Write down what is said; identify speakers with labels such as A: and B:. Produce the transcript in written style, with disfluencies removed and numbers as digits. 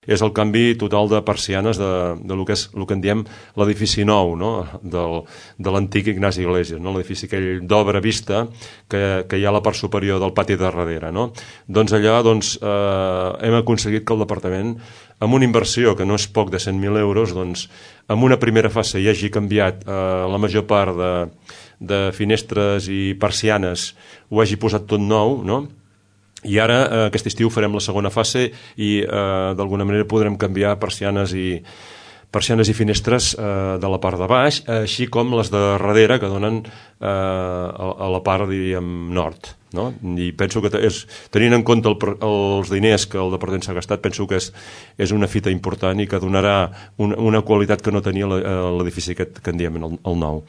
A: és el canvi total de persianes de lo que en diem l'edifici nou, no? De l'antic Ignasi Iglesias, no? L'edifici aquell d'obra vista que hi ha a la part superior del pati de darrere, no? Doncs allà hem aconseguit que el departament, amb una inversió que no és poc de 100.000 euros, doncs en una primera fase hi hagi canviat la major part de finestres i persianes, ho hagi posat tot nou, no? I ara aquest estiu farem la segona fase i d'alguna manera podrem canviar persianes i finestres de la part de baix, així com les de darrere que donen a la part, diríem, nord, no? I penso que tenint en compte els diners que el departament s'ha gastat, penso que és una fita important i que donarà una qualitat que no tenia l'edifici que en diem el nou.